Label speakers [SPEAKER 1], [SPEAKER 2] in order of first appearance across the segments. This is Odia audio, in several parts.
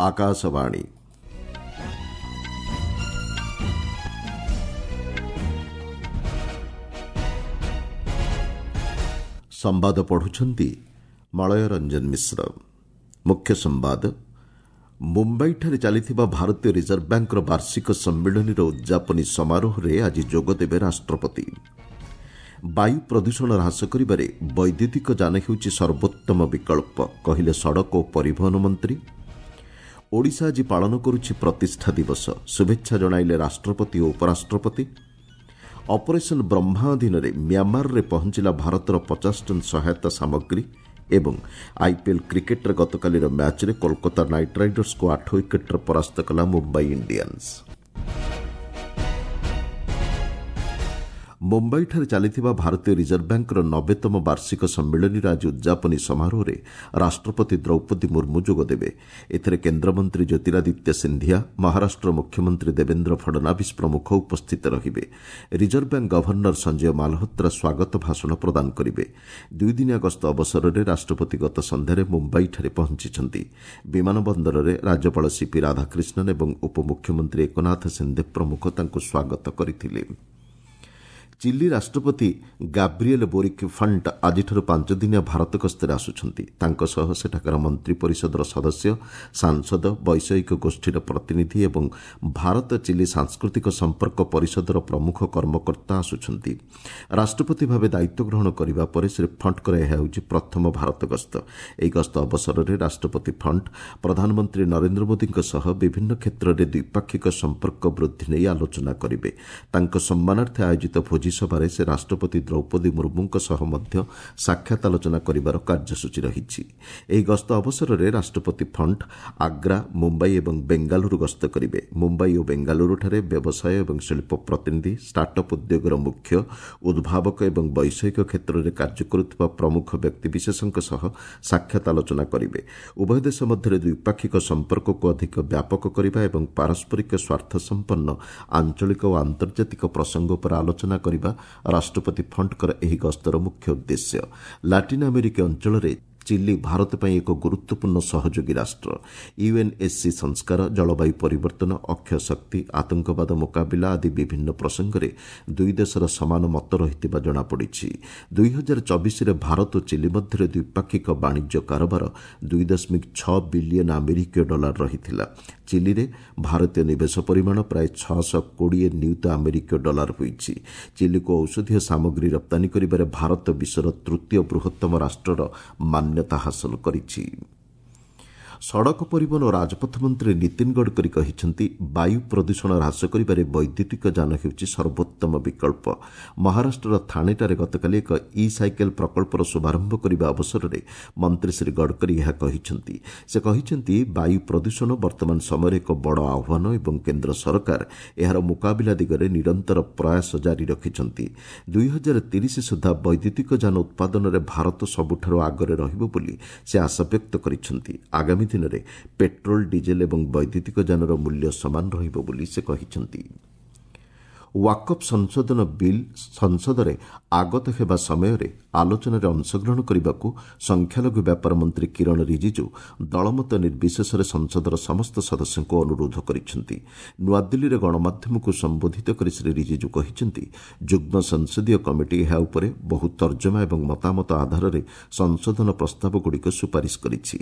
[SPEAKER 1] ଆକାଶବାଣୀ। ସମ୍ବାଦ ପଢୁଛନ୍ତି ମଳୟ ରଞ୍ଜନ ମିଶ୍ର। ମୁଖ୍ୟ ସମ୍ବାଦ। ମୁମ୍ବାଇଠାରେ ଚାଲିଥିବା ଭାରତୀୟ ରିଜର୍ଭ ବ୍ୟାଙ୍କର ବାର୍ଷିକ ସମ୍ମିଳନୀର ଉଦ୍ଯାପନୀ ସମାରୋହରେ ଆଜି ଯୋଗଦେବେ ରାଷ୍ଟ୍ରପତି। ବାୟୁ ପ୍ରଦୂଷଣ ହ୍ରାସ କରିବାରେ ବୈଦ୍ୟୁତିକ ଯାନ ହେଉଛି ସର୍ବୋତ୍ତମ ବିକଳ୍ପ, କହିଲେ ସଡ଼କ ଓ ପରିବହନ ମନ୍ତ୍ରୀ। ଓଡ଼ିଶା ଆଜି ପାଳନ କରୁଛି ପ୍ରତିଷ୍ଠା ଦିବସ, ଶୁଭେଚ୍ଛା ଜଣାଇଲେ ରାଷ୍ଟ୍ରପତି ଓ ଉପରାଷ୍ଟ୍ରପତି। ଅପରେସନ୍ ବ୍ରହ୍ମା ଅଧୀନରେ ମ୍ୟାମାରରେ ପହଞ୍ଚିଲା ଭାରତର 50 ଟନ୍ ସହାୟତା ସାମଗ୍ରୀ। ଏବଂ ଆଇପିଏଲ୍ କ୍ରିକେଟ୍ରେ ଗତକାଲିର ମ୍ୟାଚ୍ରେ କୋଲକାତା ନାଇଟ୍ ରାଇଡର୍ସକୁ 8 ୱିକେଟ୍ରେ ପରାସ୍ତ କଲା ମୁମ୍ବାଇ ଇଣ୍ଡିଆନ୍ସ। ମୁମ୍ବାଇଠାରେ ଚାଲିଥିବା ଭାରତୀୟ ରିଜର୍ଭ ବ୍ୟାଙ୍କର 90ତମ ବାର୍ଷିକ ସମ୍ମିଳନୀର ଆଜି ଉଦ୍ଯାପନୀ ସମାରୋହରେ ରାଷ୍ଟ୍ରପତି ଦ୍ରୌପଦୀ ମୁର୍ମୁ ଯୋଗଦେବେ। ଏଥିରେ କେନ୍ଦ୍ରମନ୍ତ୍ରୀ ଜ୍ୟୋତିରାଦିତ୍ୟ ସିନ୍ଧିଆ, ମହାରାଷ୍ଟ୍ର ମୁଖ୍ୟମନ୍ତ୍ରୀ ଦେବେନ୍ଦ୍ର ଫଡ଼ନାଭିସ୍ ପ୍ରମୁଖ ଉପସ୍ଥିତ ରହିବେ। Reserve bank governor Sanjay Malhotra ସ୍ୱାଗତ ଭାଷଣ ପ୍ରଦାନ କରିବେ। ଦୁଇଦିନିଆ ଗସ୍ତ ଅବସରରେ ରାଷ୍ଟ୍ରପତି ଗତ ସନ୍ଧ୍ୟାରେ ମୁମ୍ବାଇଠାରେ ପହଞ୍ଚିଛନ୍ତି। ବିମାନ ବନ୍ଦରରେ ରାଜ୍ୟପାଳ ସିପି ରାଧାକ୍ରିଷ୍ଣନ୍ ଏବଂ ଉପମୁଖ୍ୟମନ୍ତ୍ରୀ ଏକନାଥ ସିନ୍ଦେ ପ୍ରମୁଖ ତାଙ୍କୁ ସ୍ୱାଗତ କରିଥିଲେ। ଚିଲି ରାଷ୍ଟ୍ରପତି ଗାବ୍ରିଏଲ୍ ବୋରିକ୍ ଫଣ୍ଟ ଆଜିଠାରୁ 5 ଦିନିଆ ଭାରତ ଗସ୍ତରେ ଆସୁଛନ୍ତି। ତାଙ୍କ ସହ ସେଠାକାର ମନ୍ତ୍ରୀ ପରିଷଦର ସଦସ୍ୟ, ସାଂସଦ, ବୈଷୟିକ ଗୋଷ୍ଠୀର ପ୍ରତିନିଧି ଏବଂ ଭାରତ ଚିଲି ସାଂସ୍କୃତିକ ସମ୍ପର୍କ ପରିଷଦର ପ୍ରମୁଖ କର୍ମକର୍ତ୍ତା ଆସୁଛନ୍ତି। ରାଷ୍ଟ୍ରପତି ଭାବେ ଦାୟିତ୍ୱ ଗ୍ରହଣ କରିବା ପରେ ଶ୍ରୀ ଫଣ୍ଟଙ୍କର ଏହା ହେଉଛି ପ୍ରଥମ ଭାରତ ଗସ୍ତ। ଏହି ଗସ୍ତ ଅବସରରେ ରାଷ୍ଟ୍ରପତି ଫଣ୍ଟ ପ୍ରଧାନମନ୍ତ୍ରୀ ନରେନ୍ଦ୍ର ମୋଦିଙ୍କ ସହ ବିଭିନ୍ନ କ୍ଷେତ୍ରରେ ଦ୍ୱିପାକ୍ଷିକ ସମ୍ପର୍କ ବୃଦ୍ଧି ନେଇ ଆଲୋଚନା କରିବେ। ତାଙ୍କ ସମ୍ମାନାର୍ଥେ ଆୟୋଜିତ ଭୋଜି ସଭାରେ ସେ ରାଷ୍ଟ୍ରପତି ଦ୍ରୌପଦୀ ମୁର୍ମୁଙ୍କ ସହ ମଧ୍ୟ ସାକ୍ଷାତ ଆଲୋଚନା କରିବାର କାର୍ଯ୍ୟସୂଚୀ ରହିଛି। ଏହି ଗସ୍ତ ଅବସରରେ ରାଷ୍ଟ୍ରପତି ଫଣ୍ଟ ଆଗ୍ରା, ମୁମ୍ବାଇ ଏବଂ ବେଙ୍ଗାଲୁରୁ ଗସ୍ତ କରିବେ। ମୁମ୍ବାଇ ଓ ବେଙ୍ଗାଲୁରୁଠାରେ ବ୍ୟବସାୟ ଏବଂ ଶିଳ୍ପ ପ୍ରତିନିଧି, ଷ୍ଟାର୍ଟ ଅପ୍ ଉଦ୍ୟୋଗର ମୁଖ୍ୟ, ଉଦ୍ଭାବକ ଏବଂ ବୈଷୟିକ କ୍ଷେତ୍ରରେ କାର୍ଯ୍ୟ କରୁଥିବା ପ୍ରମୁଖ ବ୍ୟକ୍ତିବିଶେଷଙ୍କ ସହ ସାକ୍ଷାତ ଆଲୋଚନା କରିବେ। ଉଭୟ ଦେଶ ମଧ୍ୟରେ ଦ୍ୱିପାକ୍ଷିକ ସମ୍ପର୍କକୁ ଅଧିକ ବ୍ୟାପକ କରିବା ଏବଂ ପାରସ୍ପରିକ ସ୍ୱାର୍ଥସମ୍ପନ୍ନ ଆଞ୍ଚଳିକ ଓ ଆନ୍ତର୍ଜାତିକ ପ୍ରସଙ୍ଗ ଉପରେ ଆଲୋଚନା କରିବା ରାଷ୍ଟ୍ରପତି ଫଣ୍ଟଙ୍କର ଏହି ଗସ୍ତର ମୁଖ୍ୟ ଉଦ୍ଦେଶ୍ୟ। ଲାଟିନ୍ ଆମେରିକୀୟ ଅଞ୍ଚଳରେ ଚିଲି ଭାରତ ପାଇଁ ଏକ ଗୁରୁତ୍ୱପୂର୍ଣ୍ଣ ସହଯୋଗୀ ରାଷ୍ଟ୍ର। ୟୁଏନ୍ଏସ୍ସି ସଂସ୍କାର, ଜଳବାୟୁ ପରିବର୍ତ୍ତନ, ଅକ୍ଷୟ ଶକ୍ତି, ଆତଙ୍କବାଦ ମୁକାବିଲା ଆଦି ବିଭିନ୍ନ ପ୍ରସଙ୍ଗରେ ଦୁଇ ଦେଶର ସମାନ ମତ ରହିଥିବା ଜଣାପଡ଼ିଛି। 2024ରେ ଭାରତ ଓ ଚିଲି ମଧ୍ୟରେ ଦ୍ୱିପାକ୍ଷିକ ବାଣିଜ୍ୟ କାରବାର 2.6 ବିଲିୟନ୍ ଆମେରିକୀୟ ଡଲାର ରହିଥିଲା। ଚିଲିରେ ଭାରତୀୟ ନିବେଶ ପରିମାଣ ପ୍ରାୟ 620 ନିୟୁତ ଆମେରିକୀୟ ଡଲାର ହୋଇଛି। ଚିଲିକୁ ଔଷଧୀୟ ସାମଗ୍ରୀ ରପ୍ତାନୀ କରିବାରେ ଭାରତ ବିଶ୍ୱର ତୃତୀୟ ବୃହତ୍ତମ ରାଷ୍ଟ୍ରର ମାନ୍ୟତା ହାସଲ କରିଛି। ସଡ଼କ ପରିବହନ ଓ ରାଜପଥ ମନ୍ତ୍ରୀ ନୀତିନ ଗଡ଼କରୀ କହିଛନ୍ତି, ବାୟୁ ପ୍ରଦୂଷଣ ହ୍ରାସ କରିବାରେ ବୈଦ୍ୟୁତିକ ଯାନ ହେଉଛି ସର୍ବୋତ୍ତମ ବିକଳ୍ପ। ମହାରାଷ୍ଟ୍ରର ଥାଣେଠାରେ ଗତକାଲି ଏକ ଇ ସାଇକେଲ ପ୍ରକଳ୍ପର ଶୁଭାରମ୍ଭ କରିବା ଅବସରରେ ମନ୍ତ୍ରୀ ଶ୍ରୀ ଗଡ଼କରୀ ଏହା କହିଛନ୍ତି। ସେ କହିଛନ୍ତି, ବାୟୁ ପ୍ରଦୂଷଣ ବର୍ତ୍ତମାନ ସମୟରେ ଏକ ବଡ଼ ଆହ୍ୱାନ ଏବଂ କେନ୍ଦ୍ର ସରକାର ଏହାର ମୁକାବିଲା ଦିଗରେ ନିରନ୍ତର ପ୍ରୟାସ ଜାରି ରଖିଛନ୍ତି। 2030 ସୁଦ୍ଧା ବୈଦ୍ୟୁତିକ ଯାନ ଉତ୍ପାଦନରେ ଭାରତ ସବୁଠାରୁ ଆଗରେ ରହିବ ବୋଲି ସେ ଆଶାବ୍ୟକ୍ତ କରିଛନ୍ତି। ଆଗାମୀ ଦିନରେ ପେଟ୍ରୋଲ, ଡିଜେଲ ଏବଂ ବୈଦ୍ୟୁତିକ ଯାନର ମୂଲ୍ୟ ସମାନ ରହିବ ବୋଲି ସେ କହିଛନ୍ତି। ୱାକଫ୍ ସଂଶୋଧନ ବିଲ୍ ସଂସଦରେ ଆଗତ ହେବା ସମୟରେ ଆଲୋଚନାରେ ଅଂଶଗ୍ରହଣ କରିବାକୁ ସଂଖ୍ୟାଲଘୁ ବ୍ୟାପାର ମନ୍ତ୍ରୀ କିରଣ ରିଜିଜୁ ଦଳମତ ନିର୍ବିଶେଷରେ ସଂସଦର ସମସ୍ତ ସଦସ୍ୟଙ୍କୁ ଅନୁରୋଧ କରିଛନ୍ତି। ନୂଆଦିଲ୍ଲୀରେ ଗଣମାଧ୍ୟମକୁ ସମ୍ବୋଧିତ କରି ଶ୍ରୀ ରିଜିଜୁ କହିଛନ୍ତି, ଯୁଗ୍ମ ସଂସଦୀୟ କମିଟି ଏହା ଉପରେ ବହୁ ତର୍ଜମା ଏବଂ ମତାମତ ଆଧାରରେ ସଂଶୋଧନ ପ୍ରସ୍ତାବଗୁଡ଼ିକ ସୁପାରିଶ କରିଛି।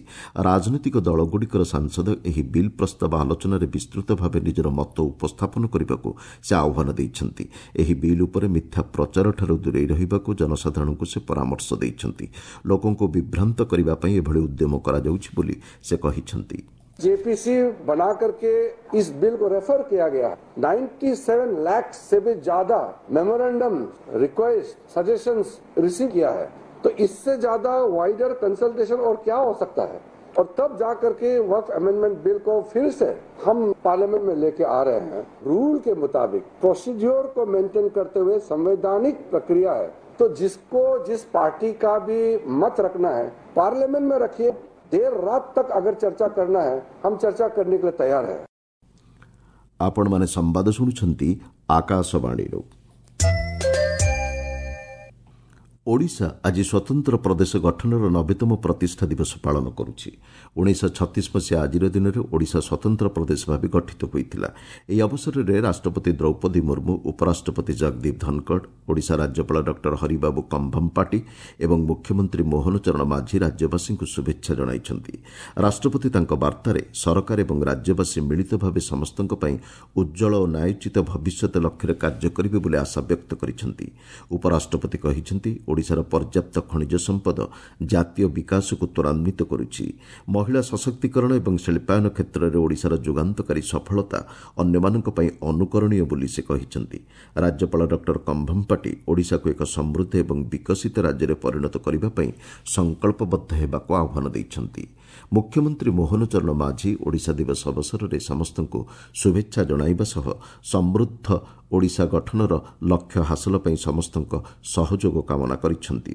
[SPEAKER 1] ରାଜନୈତିକ ଦଳଗୁଡ଼ିକର ସାଂସଦ ଏହି ବିଲ୍ ପ୍ରସ୍ତାବ ଆଲୋଚନାରେ ବିସ୍ତୃତ ଭାବେ ନିଜର ମତ ଉପସ୍ଥାପନ କରିବାକୁ ସେ ଆହ୍ୱାନ ଦେଇଛନ୍ତି। ଏହି ବିଲ୍ ଉପରେ ମିଥ୍ୟା ପ୍ରଚାରଠାରୁ ଦୂରେଇ ରହିବାକୁ ଜନସାଧାରଣଙ୍କୁ ସେ ପରାମର୍ଶ ଦେଇଛନ୍ତି। ଲୋକଙ୍କୁ ବିଭ୍ରାନ୍ତ କରିବା ପାଇଁ ଏଭଳି ଉଦ୍ୟମ କରାଯାଉଛି ବୋଲି ସେ କହିଛନ୍ତି।
[SPEAKER 2] जेपीसी बना करके इस बिल को रेफर किया गया। 97 लाख से भी ज्यादा मेमोरेंडम, रिक्वेस्ट, सजेशंस रिसीव किया है, तो इससे ज्यादा वाइडर कंसल्टेशन और क्या हो सकता है? और तब जाकर के वक्फ अमेंडमेंट बिल को फिर से हम पार्लियामेंट में लेके आ रहे हैं। रूल के मुताबिक प्रोसीड्योर को मेंटेन करते हुए संवैधानिक प्रक्रिया है, तो जिसको जिस पार्टी का भी मत रखना है, पार्लियामेंट में रखिए। देर रात तक अगर चर्चा करना है, हम चर्चा करने के लिए तैयार है।
[SPEAKER 1] ଆପଣମାନେ ସମ୍ବାଦ ଶୁଣୁଛନ୍ତି ଆକାଶବାଣୀରୁ। ଓଡ଼ିଶା ଆଜି ସ୍ୱତନ୍ତ୍ର ପ୍ରଦେଶ ଗଠନର 90ତମ ପ୍ରତିଷ୍ଠା ଦିବସ ପାଳନ କରୁଛି। 1936 ମସିହା ଆଜିର ଦିନରେ ଓଡ଼ିଶା ସ୍ୱତନ୍ତ୍ର ପ୍ରଦେଶ ଭାବେ ଗଠିତ ହୋଇଥିଲା। ଏହି ଅବସରରେ ରାଷ୍ଟ୍ରପତି ଦ୍ରୌପଦୀ ମୁର୍ମୁ, ଉପରାଷ୍ଟ୍ରପତି ଜଗଦୀପ ଧନଖଡ଼, ଓଡ଼ିଶା ରାଜ୍ୟପାଳ ଡକ୍ଟର ହରିବାବୁ କମ୍ଭମପାଟି ଏବଂ ମୁଖ୍ୟମନ୍ତ୍ରୀ ମୋହନ ଚରଣ ମାଝୀ ରାଜ୍ୟବାସୀଙ୍କୁ ଶୁଭେଚ୍ଛା ଜଣାଇଛନ୍ତି। ରାଷ୍ଟ୍ରପତି ତାଙ୍କ ବାର୍ତ୍ତାରେ ସରକାର ଏବଂ ରାଜ୍ୟବାସୀ ମିଳିତ ଭାବେ ସମସ୍ତଙ୍କ ପାଇଁ ଉଜ୍ଜ୍ୱଳ ଓ ନ୍ୟାୟୋଚିତ ଭବିଷ୍ୟତ ଲକ୍ଷ୍ୟରେ କାର୍ଯ୍ୟ କରିବେ ବୋଲି ଆଶା ବ୍ୟକ୍ତ କରିଛନ୍ତି। ଉପରାଷ୍ଟ୍ରପତି କହିଛନ୍ତି, ଓଡ଼ିଶାର ପର୍ଯ୍ୟାପ୍ତ ଖଣିଜ ସମ୍ପଦ ଜାତୀୟ ବିକାଶକୁ ତ୍ୱରାନ୍ୱିତ କରୁଛି। ମହିଳା ସଶକ୍ତିକରଣ ଏବଂ ଶିଳ୍ପାୟନ କ୍ଷେତ୍ରରେ ଓଡ଼ିଶାର ଯୁଗାନ୍ତକାରୀ ସଫଳତା ଅନ୍ୟମାନଙ୍କ ପାଇଁ ଅନୁକରଣୀୟ ବୋଲି ସେ କହିଛନ୍ତି। ରାଜ୍ୟପାଳ ଡକ୍ଟର କମ୍ଭମପାଟି ଓଡ଼ିଶାକୁ ଏକ ସମୃଦ୍ଧ ଏବଂ ବିକଶିତ ରାଜ୍ୟରେ ପରିଣତ କରିବା ପାଇଁ ସଂକଳ୍ପବଦ୍ଧ ହେବାକୁ ଆହ୍ୱାନ ଦେଇଛନ୍ତି। ମୁଖ୍ୟମନ୍ତ୍ରୀ ମୋହନ ଚରଣ ମାଝୀ ଓଡ଼ିଶା ଦିବସ ଅବସରରେ ସମସ୍ତଙ୍କୁ ଶୁଭେଚ୍ଛା ଜଣାଇବା ସହ ସମୃଦ୍ଧ ଓଡ଼ିଶା ଗଠନର ଲକ୍ଷ୍ୟ ହାସଲ ପାଇଁ ସମସ୍ତଙ୍କ ସହଯୋଗ କାମନା କରିଛନ୍ତି।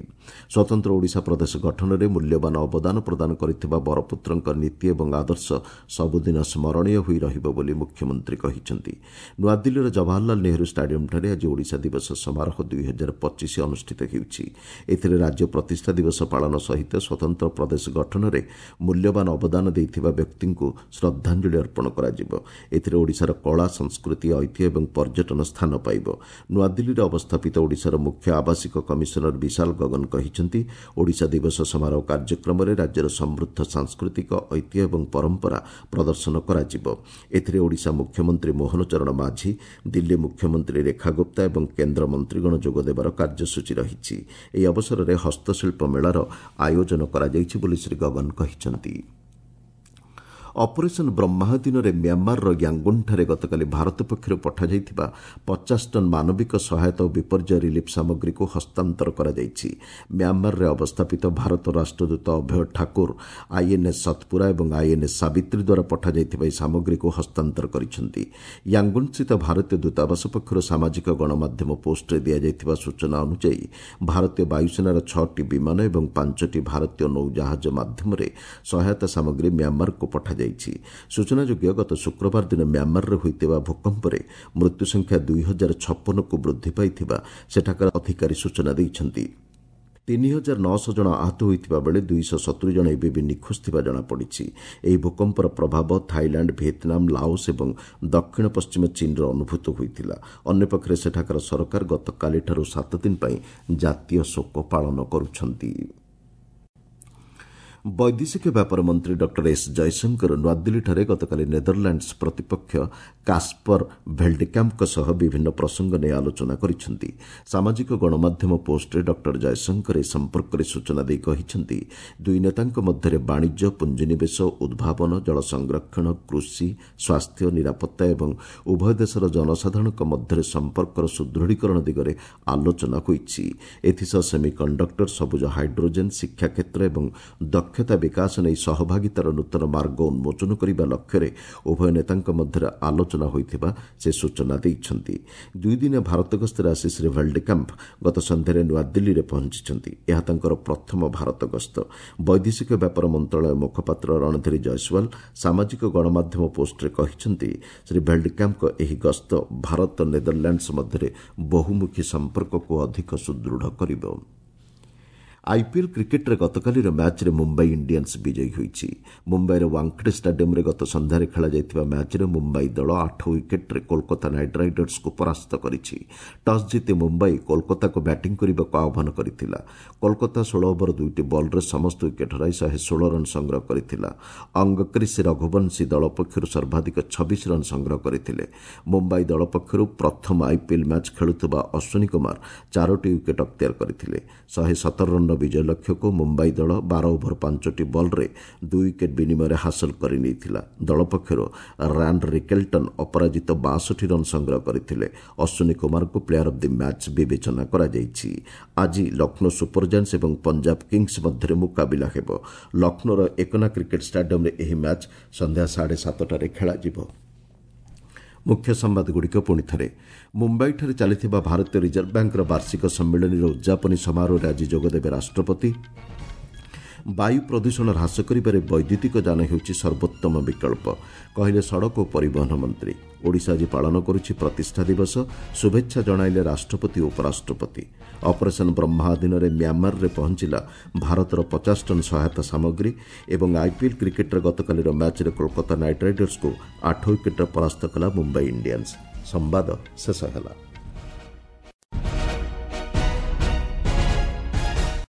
[SPEAKER 1] ସ୍ୱତନ୍ତ୍ର ଓଡ଼ିଶା ପ୍ରଦେଶ ଗଠନରେ ମୂଲ୍ୟବାନ ଅବଦାନ ପ୍ରଦାନ କରିଥିବା ବରପୁତ୍ରଙ୍କ ନୀତି ଏବଂ ଆଦର୍ଶ ସବୁଦିନ ସ୍ମରଣୀୟ ହୋଇ ରହିବ ବୋଲି ମୁଖ୍ୟମନ୍ତ୍ରୀ କହିଛନ୍ତି। ନୂଆଦିଲ୍ଲୀର ଜବାହରଲାଲ ନେହେରୁ ଷ୍ଟାଡିୟମ୍ଠାରେ ଆଜି ଓଡ଼ିଶା ଦିବସ ସମାରୋହ 2025 ଅନୁଷ୍ଠିତ ହେଉଛି। ଏଥିରେ ରାଜ୍ୟ ପ୍ରତିଷ୍ଠା ଦିବସ ପାଳନ ସହିତ ସ୍ୱତନ୍ତ୍ର ପ୍ରଦେଶ ଗଠନରେ ମୂଲ୍ୟବାନ ଅବଦାନ ଦେଇଥିବା ବ୍ୟକ୍ତିଙ୍କୁ ଶ୍ରଦ୍ଧାଞ୍ଜଳି ଅର୍ପଣ କରାଯିବ। ଏଥିରେ ଓଡ଼ିଶାର କଳା, ସଂସ୍କୃତି, ଐତିହ୍ୟ ଏବଂ ପର୍ଯ୍ୟଟନ ସ୍ଥାନ ପାଇବ। ନୂଆଦିଲ୍ଲୀରେ ଅବସ୍ଥାପିତ ଓଡ଼ିଶାର ମୁଖ୍ୟ ଆବାସିକ କମିଶନର ବିଶାଲ ଗଗନ କହିଛନ୍ତି, ଓଡ଼ିଶା ଦିବସ ସମାରୋହ କାର୍ଯ୍ୟକ୍ରମରେ ରାଜ୍ୟର ସମୃଦ୍ଧ ସାଂସ୍କୃତିକ ଐତିହ୍ୟ ଏବଂ ପରମ୍ପରା ପ୍ରଦର୍ଶନ କରାଯିବ। ଏଥିରେ ଓଡ଼ିଶା ମୁଖ୍ୟମନ୍ତ୍ରୀ ମୋହନ ଚରଣ ମାଝୀ, ଦିଲ୍ଲୀ ମୁଖ୍ୟମନ୍ତ୍ରୀ ରେଖା ଗୁପ୍ତା ଏବଂ କେନ୍ଦ୍ର ମନ୍ତ୍ରୀଗଣ ଯୋଗଦେବାର କାର୍ଯ୍ୟସୂଚୀ ରହିଛି। ଏହି ଅବସରରେ ହସ୍ତଶିଳ୍ପ ମେଳାର ଆୟୋଜନ କରାଯାଇଛି ବୋଲି ଶ୍ରୀ ଗଗନ କହିଛନ୍ତି। ଅପରେସନ୍ ବ୍ରହ୍ମାହ ଦିନରେ ମ୍ୟାଁମାରର ୟାଙ୍ଗୁନ୍ଠାରେ ଗତକାଲି ଭାରତ ପକ୍ଷରୁ ପଠାଯାଇଥିବା 50 ଟନ୍ ମାନବିକ ସହାୟତା ଓ ବିପର୍ଯ୍ୟୟ ରିଲିଫ୍ ସାମଗ୍ରୀକୁ ହସ୍ତାନ୍ତର କରାଯାଇଛି। ମ୍ୟାଁମାରରେ ଅବସ୍ଥାପିତ ଭାରତ ରାଷ୍ଟ୍ରଦୂତ ଅଭୟ ଠାକୁର ଆଇଏନ୍ଏସ୍ ସତପୁରା ଏବଂ ଆଇଏନ୍ଏସ୍ ସାବିତ୍ରୀ ଦ୍ୱାରା ପଠାଯାଇଥିବା ଏହି ସାମଗ୍ରୀକୁ ହସ୍ତାନ୍ତର କରିଛନ୍ତି। ୟାଙ୍ଗୁନ୍ସ୍ଥିତ ଭାରତୀୟ ଦୂତାବାସ ପକ୍ଷରୁ ସାମାଜିକ ଗଣମାଧ୍ୟମ ପୋଷ୍ଟରେ ଦିଆଯାଇଥିବା ସୂଚନା ଅନୁଯାୟୀ ଭାରତୀୟ ବାୟୁସେନାର 6ଟି ବିମାନ ଏବଂ 5ଟି ଭାରତୀୟ ନୌଜାହାଜ ମାଧ୍ୟମରେ ସହାୟତା ସାମଗ୍ରୀ ମ୍ୟାଁମାରକୁ ପଠାଯାଇଛି। ସୂଚନାଯୋଗ୍ୟ, ଗତ ଶୁକ୍ରବାର ଦିନ ମ୍ୟାଁମାରରେ ହୋଇଥିବା ଭୂକମ୍ପରେ ମୃତ୍ୟୁ ସଂଖ୍ୟା 2056କୁ ବୃଦ୍ଧି ପାଇଥିବା ସେଠାକାର ଅଧିକାରୀ ସୂଚନା ଦେଇଛନ୍ତି। 3900 ଜଣ ଆହତ ହୋଇଥିବା ବେଳେ 270 ଜଣ ଏବେ ବି ନିଖୋଜ ଥିବା ଜଣାପଡ଼ିଛି। ଏହି ଭୂକମ୍ପର ପ୍ରଭାବ ଥାଇଲାଣ୍ଡ, ଭିଏତନାମ, ଲାଓସ୍ ଏବଂ ଦକ୍ଷିଣ ପଶ୍ଚିମ ଚୀନରେ ଅନୁଭୂତ ହୋଇଥିଲା। ଅନ୍ୟପକ୍ଷରେ ସେଠାକାର ସରକାର ଗତକାଲିଠାରୁ 7 ଦିନ ପାଇଁ ଜାତୀୟ ଶୋକ ପାଳନ କରୁଛନ୍ତି। ବୈଦେଶିକ ବ୍ୟାପାର ମନ୍ତ୍ରୀ ଡକ୍ଟର ଏସ୍ ଜୟଶଙ୍କର ନୂଆଦିଲ୍ଲୀଠାରେ ଗତକାଲି ନେଦରଲ୍ୟାଣ୍ଡସ୍ ପ୍ରତିପକ୍ଷ କାସ୍ପର ଭେଲ୍ଡେକ୍ୟାମ୍ପଙ୍କ ସହ ବିଭିନ୍ନ ପ୍ରସଙ୍ଗ ନେଇ ଆଲୋଚନା କରିଛନ୍ତି। ସାମାଜିକ ଗଣମାଧ୍ୟମ ପୋଷ୍ଟରେ ଡକ୍ଟର ଜୟଶଙ୍କର ଏ ସମ୍ପର୍କରେ ସୂଚନା ଦେଇ କହିଛନ୍ତି, ଦୁଇ ନେତାଙ୍କ ମଧ୍ୟରେ ବାଣିଜ୍ୟ, ପୁଞ୍ଜିନିବେଶ, ଉଦ୍ଭାବନ, ଜଳ ସଂରକ୍ଷଣ, କୃଷି, ସ୍ୱାସ୍ଥ୍ୟ, ନିରାପତ୍ତା ଏବଂ ଉଭୟ ଦେଶର ଜନସାଧାରଣଙ୍କ ମଧ୍ୟରେ ସମ୍ପର୍କର ସୁଦୃଢ଼ୀକରଣ ଦିଗରେ ଆଲୋଚନା ହୋଇଛି। ଏଥିସହ ସେମିକଣ୍ଡକ୍ଟର, ସବୁଜ ହାଇଡ୍ରୋଜେନ୍, ଶିକ୍ଷା କ୍ଷେତ୍ର ଏବଂ ଦକ୍ଷତା ବିକାଶ ନେଇ ସହଭାଗିତାର ନୂତନ ମାର୍ଗ ଉନ୍ମୋଚନ କରିବା ଲକ୍ଷ୍ୟରେ ଉଭୟ ନେତାଙ୍କ ମଧ୍ୟରେ ଆଲୋଚନା ହୋଇଥିବା ସେ ସୂଚନା ଦେଇଛନ୍ତି। ଦୁଇଦିନିଆ ଭାରତ ଗସ୍ତରେ ଆସି ଶ୍ରୀ ଭେଲ୍ଡେକାମ୍ପ ଗତ ସନ୍ଧ୍ୟାରେ ନୂଆଦିଲ୍ଲୀରେ ପହଞ୍ଚିଛନ୍ତି। ଏହା ତାଙ୍କର ପ୍ରଥମ ଭାରତ ଗସ୍ତ। ବୈଦେଶିକ ବ୍ୟାପାର ମନ୍ତ୍ରଣାଳୟ ମୁଖପାତ୍ର ରଣଧୀର ଜୟସ୍ୱାଲ ସାମାଜିକ ଗଣମାଧ୍ୟମ ପୋଷ୍ଟରେ କହିଛନ୍ତି, ଶ୍ରୀ ଭେଲ୍ଡେକାମ୍ପଙ୍କ ଏହି ଗସ୍ତ ଭାରତ ନେଦରଲ୍ୟାଣ୍ଡସ୍ ମଧ୍ୟରେ ବହୁମୁଖୀ ସମ୍ପର୍କକୁ ଅଧିକ ସୁଦୃଢ଼ କରିବ। ଆଇପିଏଲ୍ କ୍ରିକେଟ୍ରେ ଗତକାଲିର ମ୍ୟାଚ୍ରେ ମୁମ୍ବାଇ ଇଣ୍ଡିଆନ୍ସ ବିଜୟୀ ହୋଇଛି। ମୁମ୍ବାଇର ୱାଙ୍ଗଡେ ଷ୍ଟାଡିୟମ୍ରେ ଗତ ସନ୍ଧ୍ୟାରେ ଖେଳାଯାଇଥିବା ମ୍ୟାଚ୍ରେ ମୁମ୍ବାଇ ଦଳ 8 ୱିକେଟ୍ରେ କୋଲକାତା ନାଇଟ୍ ରାଇଡର୍ସକୁ ପରାସ୍ତ କରିଛି। ଟସ୍ ଜିତି ମୁମ୍ବାଇ କୋଲକାତାକୁ ବ୍ୟାଟିଂ କରିବାକୁ ଆହ୍ୱାନ କରିଥିଲା। କୋଲକାତା 16 ଓଭର 2ଟି ବଲ୍ରେ ସମସ୍ତ ୱିକେଟ୍ ହରାଇ 116 ରନ୍ ସଂଗ୍ରହ କରିଥିଲା। ଅଙ୍ଗକ୍ରିସ୍ ରଘୁବଂଶୀ ଦଳ ପକ୍ଷରୁ ସର୍ବାଧିକ 26 ରନ୍ ସଂଗ୍ରହ କରିଥିଲେ। ମୁମ୍ବାଇ ଦଳ ପକ୍ଷରୁ ପ୍ରଥମ ଆଇପିଏଲ୍ ମ୍ୟାଚ୍ ଖେଳୁଥିବା ଅଶ୍ୱିନୀ କୁମାର 4ଟି ୱିକେଟ୍ ଅକ୍ତିଆର କରିଥିଲେ। 117 ରନ୍ର ବିଜୟ ଲକ୍ଷ୍ୟକୁ ମୁମ୍ବାଇ ଦଳ 12 ଓଭର 5ଟି ବଲ୍ରେ 2 ୱିକେଟ୍ ବିନିମୟରେ ହାସଲ କରିନେଇଥିଲା। ଦଳ ପକ୍ଷରୁ ରାନ୍ ରିକେଲ୍ଟନ୍ ଅପରାଜିତ 62 ରନ୍ ସଂଗ୍ରହ କରିଥିଲେ। ଅଶ୍ୱିନୀ କୁମାରଙ୍କୁ ପ୍ଲେୟାର ଅଫ୍ the match ବିବେଚନା କରାଯାଇଛି। ଆଜି ଲକ୍ଷ୍ନୌ ସୁପର ଜାଏଣ୍ଟସ୍ ଏବଂ ପଞ୍ଜାବ କିଙ୍ଗସ୍ ମଧ୍ୟରେ ମୁକାବିଲା ହେବ। ଲକ୍ଷ୍ନୌର ଏକନା କ୍ରିକେଟ୍ ଷ୍ଟାଡିୟମ୍ରେ ଏହି ମ୍ୟାଚ୍ ସନ୍ଧ୍ୟା 7:30ରେ ଖେଳାଯିବ। ମୁଖ୍ୟ ସମ୍ବାଦଗୁଡ଼ିକ ପୁଣି ଥରେ। ମୁମ୍ବାଇଠାରେ ଚାଲିଥିବା ଭାରତୀୟ ରିଜର୍ଭ ବ୍ୟାଙ୍କର ବାର୍ଷିକ ସମ୍ମିଳନୀର ଉଦ୍ଯାପନୀ ସମାରୋହରେ ଆଜି ଯୋଗଦେବେ ରାଷ୍ଟ୍ରପତି। ବାୟୁ ପ୍ରଦୂଷଣ ହ୍ରାସ କରିବାରେ ବୈଦ୍ୟୁତିକ ଯାନ ହେଉଛି ସର୍ବୋତ୍ତମ ବିକଳ୍ପ, କହିଲେ ସଡ଼କ ଓ ପରିବହନ ମନ୍ତ୍ରୀ। ଓଡ଼ିଶା ଆଜି ପାଳନ କରୁଛି ପ୍ରତିଷ୍ଠା ଦିବସ, ଶୁଭେଚ୍ଛା ଜଣାଇଲେ ରାଷ୍ଟ୍ରପତି ଓ ଉପରାଷ୍ଟ୍ରପତି। ଅପରେସନ୍ ବ୍ରହ୍ମା ଅଧୀନରେ ମ୍ୟାମାରରେ ପହଞ୍ଚିଲା ଭାରତର 50 ଟନ୍ ସହାୟତା ସାମଗ୍ରୀ। ଏବଂ ଆଇପିଏଲ୍ କ୍ରିକେଟ୍ର ଗତକାଲିର ମ୍ୟାଚ୍ରେ କୋଲକାତା ନାଇଟ୍ ରାଇଡର୍ସକୁ 8 ୱିକେଟ୍ରେ ପରାସ୍ତ କଲା ମୁମ୍ବାଇ ଇଣ୍ଡିଆନ୍ସ। ସମ୍ବାଦ ଶେଷ ହେଲା।